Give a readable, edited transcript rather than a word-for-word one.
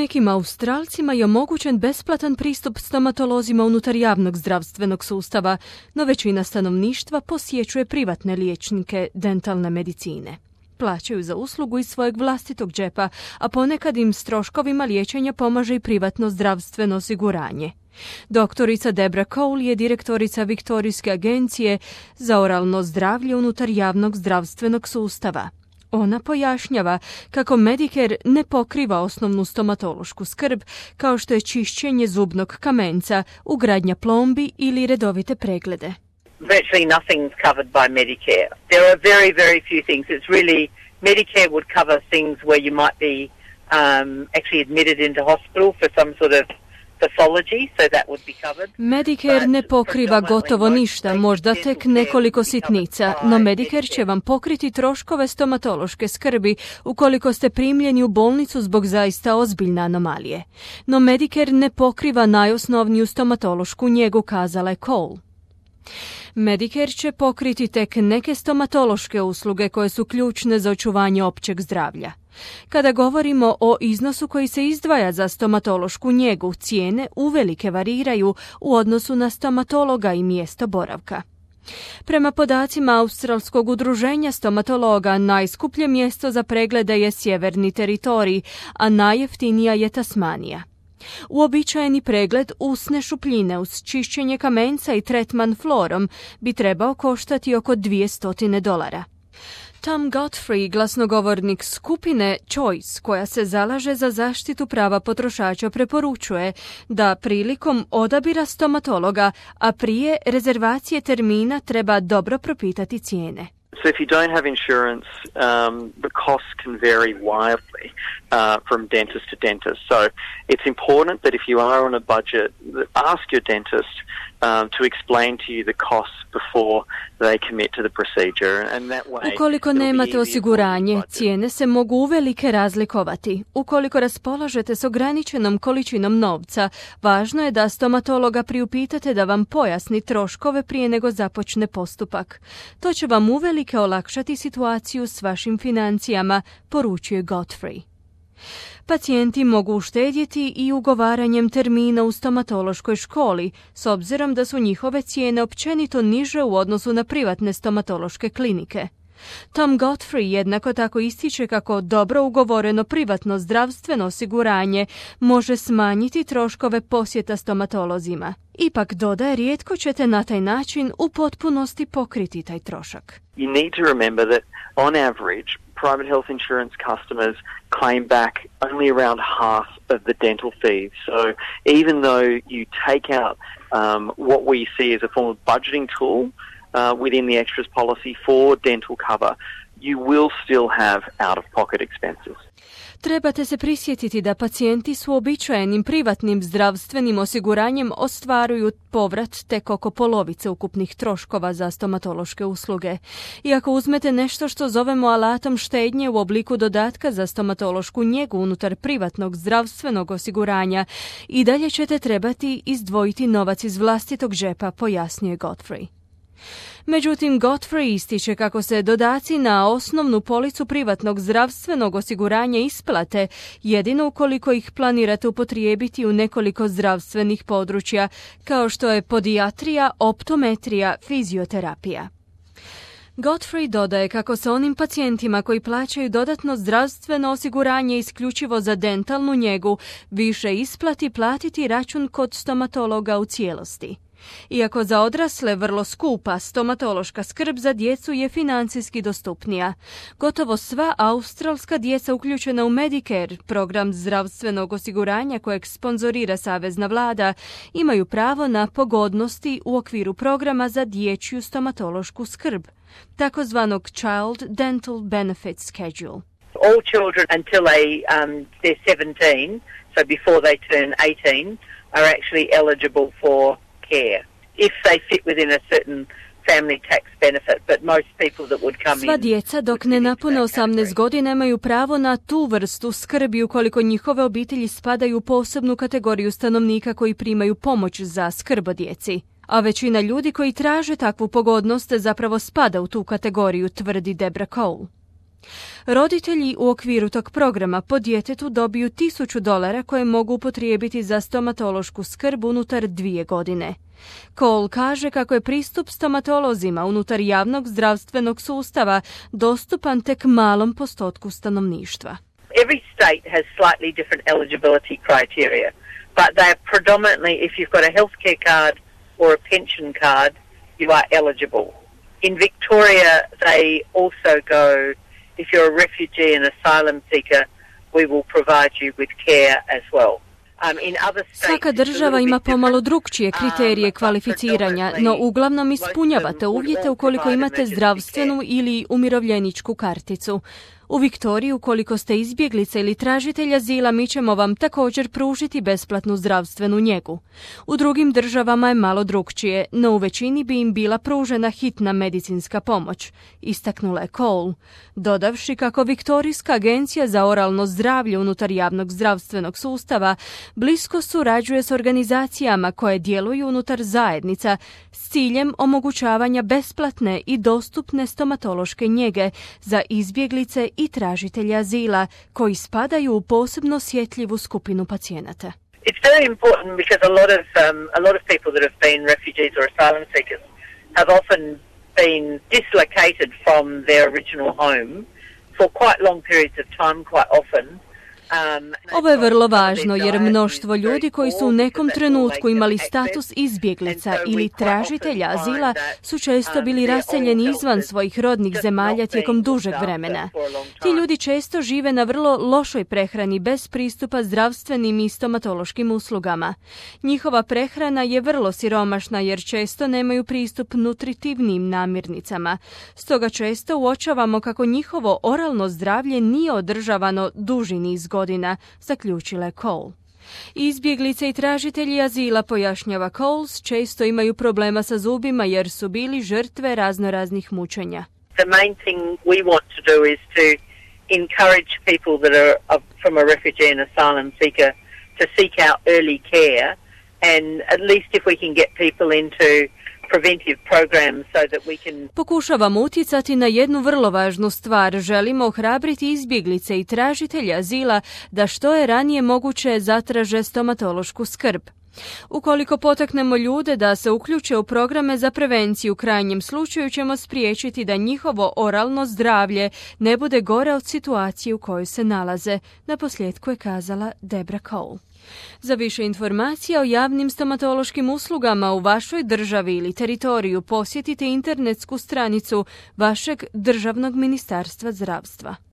nekim Australcima je omogućen besplatan pristup stomatolozima unutar javnog zdravstvenog sustava, no većina stanovništva posjećuje privatne liječnike dentalne medicine. Plaćaju za uslugu iz svojeg vlastitog džepa, a ponekad im s troškovima liječenja pomaže i privatno zdravstveno osiguranje. Doktorica Debra Cole je direktorica Viktorijske agencije za oralno zdravlje unutar javnog zdravstvenog sustava. Ona pojašnjava kako Medicare ne pokriva osnovnu stomatološku skrb, kao što je čišćenje zubnog kamenca, ugradnja plombi ili redovite preglede. Virtually nothing's covered by Medicare. There are very, very few things. It's really, Medicare would cover things where you might be actually admitted into hospital for some sort of pathology, so that would be covered. Medicare ne pokriva gotovo ništa, možda tek nekoliko sitnica, no Medicare će vam pokriti troškove stomatološke skrbi ukoliko ste primljeni u bolnicu zbog zaista ozbiljne anomalije. No Medicare ne pokriva najosnovniju stomatološku njegu, kazala je Cole. Medicare će pokriti tek neke stomatološke usluge koje su ključne za očuvanje općeg zdravlja. Kada govorimo o iznosu koji se izdvaja za stomatološku njegu, cijene uvelike variraju u odnosu na stomatologa i mjesto boravka. Prema podacima Australskog udruženja stomatologa, najskuplje mjesto za preglede je Sjeverni teritorij, a najjeftinija je Tasmanija. Uobičajeni pregled usne šupljine uz čišćenje kamenca i tretman florom bi trebao koštati oko $200. Tom Godfrey, glasnogovornik skupine Choice, koja se zalaže za zaštitu prava potrošača, preporučuje da prilikom odabira stomatologa, a prije rezervacije termina, treba dobro propitati cijene. So if you don't have insurance, the costs can vary wildly from dentist to dentist. So it's important that if you are on a budget, ask your dentist to explain to you the costs before they commit to the procedure. And that way, ukoliko nemate osiguranje, cijene se mogu uvelike razlikovati. Ukoliko raspolažete s ograničenom količinom novca, važno je da stomatologa priupitate da vam pojasni troškove prije nego započne postupak. To će vam uvelike olakšati situaciju s vašim financijama, poručuje Godfrey. Pacijenti mogu uštedjeti i ugovaranjem termina u stomatološkoj školi, s obzirom da su njihove cijene općenito niže u odnosu na privatne stomatološke klinike. Tom Godfrey jednako tako ističe kako dobro ugovoreno privatno zdravstveno osiguranje može smanjiti troškove posjeta stomatolozima. Ipak dodaje, rijetko ćete na taj način u potpunosti pokriti taj trošak. You need to remember that on average, private health insurance customers claim back only around half of the dental fees. So even though you take out what we see as a form of budgeting tool within the extras policy for dental cover, you will still have out-of-pocket expenses. Trebate se prisjetiti da pacijenti s uobičajenim privatnim zdravstvenim osiguranjem ostvaruju povrat tek oko polovice ukupnih troškova za stomatološke usluge. I ako uzmete nešto što zovemo alatom štednje u obliku dodatka za stomatološku njegu unutar privatnog zdravstvenog osiguranja, i dalje ćete trebati izdvojiti novac iz vlastitog džepa, pojasnjuje Godfrey. Međutim, Godfrey ističe kako se dodaci na osnovnu policu privatnog zdravstvenog osiguranja isplate jedino ukoliko ih planirate upotrijebiti u nekoliko zdravstvenih područja, kao što je podijatrija, optometrija, fizioterapija. Godfrey dodaje kako se onim pacijentima koji plaćaju dodatno zdravstveno osiguranje isključivo za dentalnu njegu više isplati platiti račun kod stomatologa u cijelosti. Iako za odrasle vrlo skupa, stomatološka skrb za djecu je financijski dostupnija. Gotovo sva australska djeca uključena u Medicare, program zdravstvenog osiguranja kojeg sponzorira savezna vlada, imaju pravo na pogodnosti u okviru programa za dječju stomatološku skrb, takozvanog Child Dental Benefit Schedule. All children until they're 17, so before they turn 18, are actually eligible for care if they fit within a certain family tax benefit, but most people that would come in. Sva djeca dok ne napune 18 godina imaju pravo na tu vrstu skrbi ukoliko njihove obitelji spadaju u posebnu kategoriju stanovnika koji primaju pomoć za skrb o djeci. A većina ljudi koji traže takvu pogodnost zapravo spada u tu kategoriju, tvrdi Debra Cole. Roditelji u okviru tog programa po djetetu dobiju $1000 koje mogu upotrijebiti za stomatološku skrb unutar 2 godine. Cole kaže kako je pristup stomatolozima unutar javnog zdravstvenog sustava dostupan tek malom postotku stanovništva. Every state has slightly different eligibility criteria, but they are predominantly, if you've got a healthcare card or a pension card, you are eligible. In Victoria, they also go, if you're a refugee and asylum seeker, we will provide you with care as well. Svaka država ima pomalo drukčije kriterije kvalificiranja, no uglavnom ispunjavate uvjete ukoliko imate zdravstvenu ili umirovljeničku karticu. U Viktoriji, ukoliko ste izbjeglica ili tražitelj azila, mi ćemo vam također pružiti besplatnu zdravstvenu njegu. U drugim državama je malo drukčije, no u većini bi im bila pružena hitna medicinska pomoć, istaknula je Cole, dodavši kako Viktorijska agencija za oralno zdravlje unutar javnog zdravstvenog sustava blisko surađuje s organizacijama koje djeluju unutar zajednica s ciljem omogućavanja besplatne i dostupne stomatološke njege za izbjeglice i tražitelja azila koji spadaju u posebno osjetljivu skupinu pacijenata. It's very important because a lot of people that have been refugees or asylum seekers have often been dislocated from their original home for quite long periods of time, quite often. Ovo je vrlo važno jer mnoštvo ljudi koji su u nekom trenutku imali status izbjeglica ili tražitelja azila su često bili raseljeni izvan svojih rodnih zemalja tijekom dužeg vremena. Ti ljudi često žive na vrlo lošoj prehrani bez pristupa zdravstvenim i stomatološkim uslugama. Njihova prehrana je vrlo siromašna jer često nemaju pristup nutritivnim namirnicama. Stoga često uočavamo kako njihovo oralno zdravlje nije održavano duži niz godina, zaključila je Cole. Izbjeglice i tražitelji azila, pojašnjava Coles, često imaju problema sa zubima jer su bili žrtve raznoraznih mučenja. The main thing we want to do is to encourage people that are from a refugee and asylum seeker to seek out early care, and at least if we can get people into preventive programs so that we can... Pokušavamo utjecati na jednu vrlo važnu stvar. Želimo ohrabriti izbjeglice i tražitelja azila da što je ranije moguće zatraže stomatološku skrb. Ukoliko potaknemo ljude da se uključe u programe za prevenciju, u krajnjem slučaju ćemo spriječiti da njihovo oralno zdravlje ne bude gore od situacije u kojoj se nalaze, naposljetku je kazala Debra Cole. Za više informacija o javnim stomatološkim uslugama u vašoj državi ili teritoriju posjetite internetsku stranicu vašeg državnog ministarstva zdravstva.